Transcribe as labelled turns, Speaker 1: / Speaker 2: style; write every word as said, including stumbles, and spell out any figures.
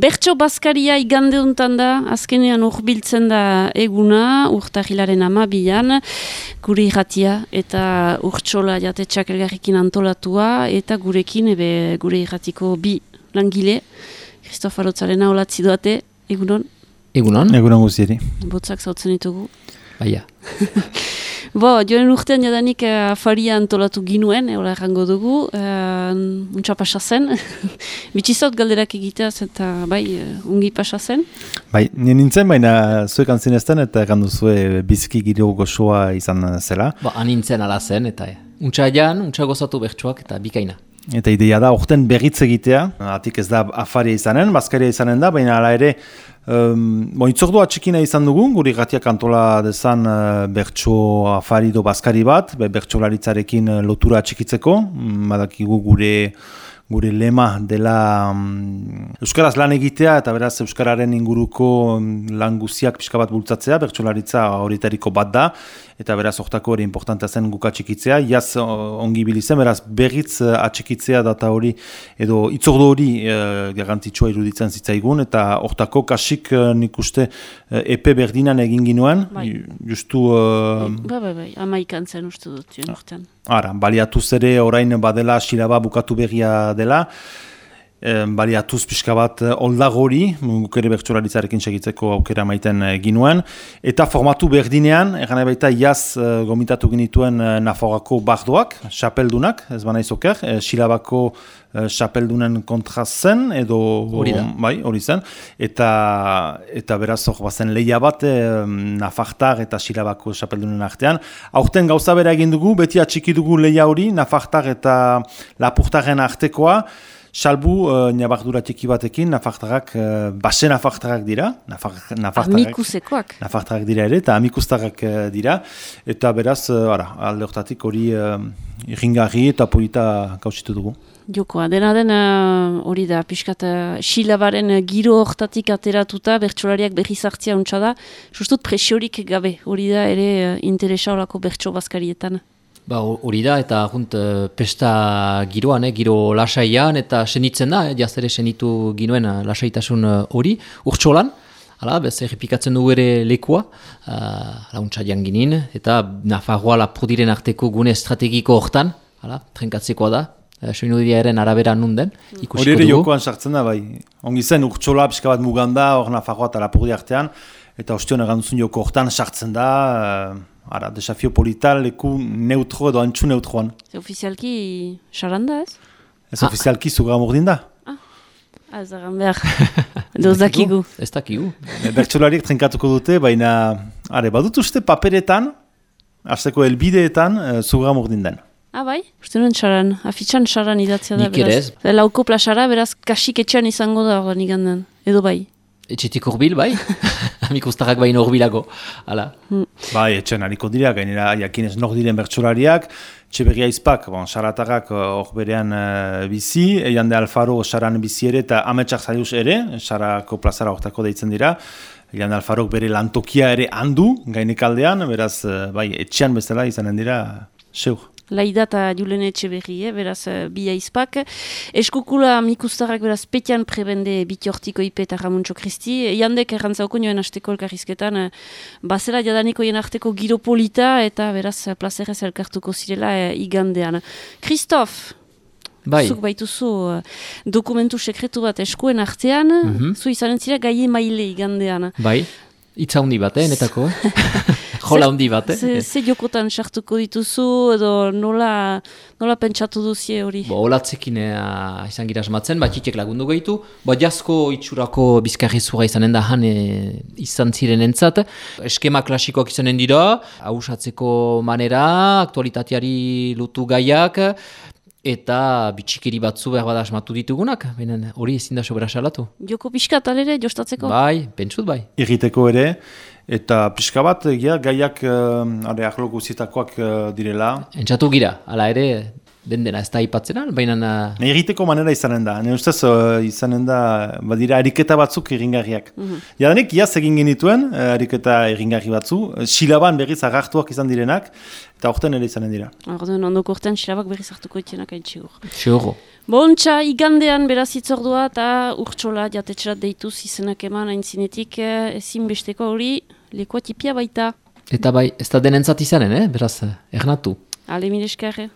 Speaker 1: Bertso Baskaria igande untan da, azkenean urbiltzen da eguna, urtahilaren amabian, gure irratia eta urtsola jatetxak elgarrekin antolatua, eta gurekin ebe gure irratiko bi langile, Kristof Arotzaren aholatzi doate, egunon?
Speaker 2: Egunon? Egunon guztieri.
Speaker 1: Botzak zautzen ditugu.
Speaker 2: Baia.
Speaker 1: Bo, joan urtean jadanik uh, afaria antolatu ginuen, eola errango dugu, uh, untsa pasa zen, bitxizot galderak egiteaz eta bai, uh, ungi pasa zen.
Speaker 2: Bai, nien nintzen, baina zuek antzinezten eta errandu zue biziki giro gozoa izan zela.
Speaker 3: Ba, anintzen ala zen, eta untsa jan, untsa gozatu bertsuak eta bikaina.
Speaker 2: Eta ideia da, orten berritz egitea, atik ez da afaria izanen, Baskaria izanen da, baina ala ere, um, bon, itzordua txikina izan dugu, guri gatiak antola dezan uh, bertso afari do Baskari bat, be, bertsolaritzarekin lotura txikitzeko, badakigu gure gure lema dela um, Euskaraz lan egitea eta beraz Euskararen inguruko um, lan guziak pixka bat bultzatzea, bertsolaritza horietariko bat da, eta beraz hortako hori importantea zen guka txikitzea, jaz ongi bilizen, beraz berriz uh, atxikitzea data hori, edo itzordo hori uh, garrantzitsua iruditzen zitzaigun, eta hortako kasik uh, nik uste uh, epe berdinan egin ginuen,
Speaker 1: bai.
Speaker 2: Justu... Uh,
Speaker 1: bai, bai, bai, amaikan zen uste dut, joan urtean.
Speaker 2: Ara, baliatuz ere orain badela silaba bukatu berria dela, e, baliatuz pixka bat oldagori, guk ere bertsolaritzarekin segitzeko aukera maiten ginuen, eta formatu berdinean, egan baita jaz e, gomitatu genituen e, Nafarroako bardoak, xapeldunak, ez bana izoker, e, silabako e, xapeldunen kontra zen, edo
Speaker 3: hori da.
Speaker 2: Bai, hori zen, eta, eta beraz hor bazen lehia bat, e, Nafartar eta silabako xapeldunen artean. Aurten gauza bera egin dugu, beti atxiki dugu lehia hori, Nafartar eta Lapurtaren artekoa, salbu uh, nabardura txiki batekin, Nafartarak, uh, base Nafartarak dira, Nafar, Nafartarak,
Speaker 1: Amikusekoak.
Speaker 2: Nafartarak dira ere, eta amikustarrak uh, dira, eta beraz, uh, ara, alde hortatik hori uh, irringarri eta polita gauzitu dugu.
Speaker 1: Jokoa, dena den hori da, pixkat silabaren giro hortatik ateratuta, bertsolariak berriz hartzia untsa da, justut presiorik gabe, hori da ere uh, interesa horako bertso Baskarietan.
Speaker 3: Ba, hori da, eta junt, pesta giroan, eh, giro lasaian, eta senitzen da, eh, jaztere senitu ginuen lasaitasun hori, urtsolan, hala, bez, errepikatzen dugu ere lekua, uh, launtza janginin, eta Nafarroa Lapurdiren arteko gune estrategiko hortan, hala, trenkatzekoa da, uh, soinudiaren arabera nunden, ikusiko dugu.
Speaker 2: Hori ere jokoan sartzen da, bai, ongi zen urtsola pixka bat muganda, hor Nafarroa eta Lapurdi artean, eta ostion eganduzun joko hortan sartzen da, uh, Ara, desafio polital, leku neutro edo antxu neutroan.
Speaker 1: Ze ofizialki xaranda ez?
Speaker 2: Ez ah. Ofizialki zuga mordin da.
Speaker 1: Ah, ah ez dagan behar. Edo zakigu.
Speaker 3: Ez dakigu.
Speaker 2: Bertsolariek trenkatuko dute, baina, are, badut uste paperetan, hasteko helbideetan, uh, zuga mordin den.
Speaker 1: Ah, bai? Uste nuen xaran, afitxan xaran idatzia da,
Speaker 3: Nik
Speaker 1: beraz. Lauko plasara, beraz, kasik etxean izango da, hori nigandan. Edo bai?
Speaker 3: Etxetik urbil, bai? Amikustarrak baino urbilago. Hala.
Speaker 1: Hmm.
Speaker 2: Bai, etxean hariko dira, gainera jakinez nor diren bertsolariak, Txeberria izpak, bon, xaratarrak hor berean uh, bizi, Jande Alfaro xaran bizi ere, eta ametsak zaiuz ere, xarako plazara hortako deitzen dira, Jande Alfarok bere lantokia ere handu, gainekaldean, beraz, uh, bai, etxean bezala izanen dira, seur.
Speaker 1: Laida eta Julen Etxeberri, eh, beraz, bi aizpak. Eskukula amikustarrak beraz petian prebende Bitiortiko Ipe eta Ramuntxo Kristi. Jandek errantzauko nioen asteko elkarrizketan, bazela jadaniko jen arteko giropolita eta beraz plazerrez elkartuko zirela eh, igandean. Kristof,
Speaker 3: bai.
Speaker 1: Zuk baituzu uh, dokumentu sekretu bat eskuen artean, mm-hmm. Zu izanen zira gaie maile igandean.
Speaker 3: Bai, itza hundi bat, eh, netako, eh? Jola hundi bat, eh?
Speaker 1: Ze, ze jokotan sartuko dituzu, edo nola, nola pentsatu duzie hori?
Speaker 3: Bo, olatzekin eh, izan gira asmatzen, bat jitek lagundu gaitu, bat jasko itxurako bizkarri zura izanen da han eh, izan ziren entzat. Eskema klasikoak izanen dira, hausatzeko manera, aktualitateari lutu gaiak, eta bitxikeri batzu behar bada asmatu ditugunak, benen hori ezin da sobera salatu.
Speaker 1: Joko pixka talere jostatzeko?
Speaker 3: Bai, pentsut bai.
Speaker 2: Irriteko ere, eta pixka bat, ja, gaiak uh, ahlo guztietakoak uh, direla.
Speaker 3: Entzatu gira, hala ere, den dena ez da ipatzena, baina...
Speaker 2: Egiteko manera izanen da, ne ustez uh, izanen da, badira, ariketa batzuk egingarriak. Mm-hmm. Jadanik, iaz egin genituen, uh, ariketa egingarri batzu, silaban berriz agartuak izan direnak, eta orten ere izanen dira.
Speaker 1: Orten, ondoko orten silabak berriz hartuko itzenak hain txigur.
Speaker 3: Txigur.
Speaker 1: Bontxa, igandean beraz itzordua eta urtsola jatetxerat deituz izenak eman aintzinetik ezinbesteko hori lekoa tipia baita.
Speaker 3: Eta bai, ez da denentzat izanen, eh? Beraz, ernatu.
Speaker 1: Ale, mire eskerre.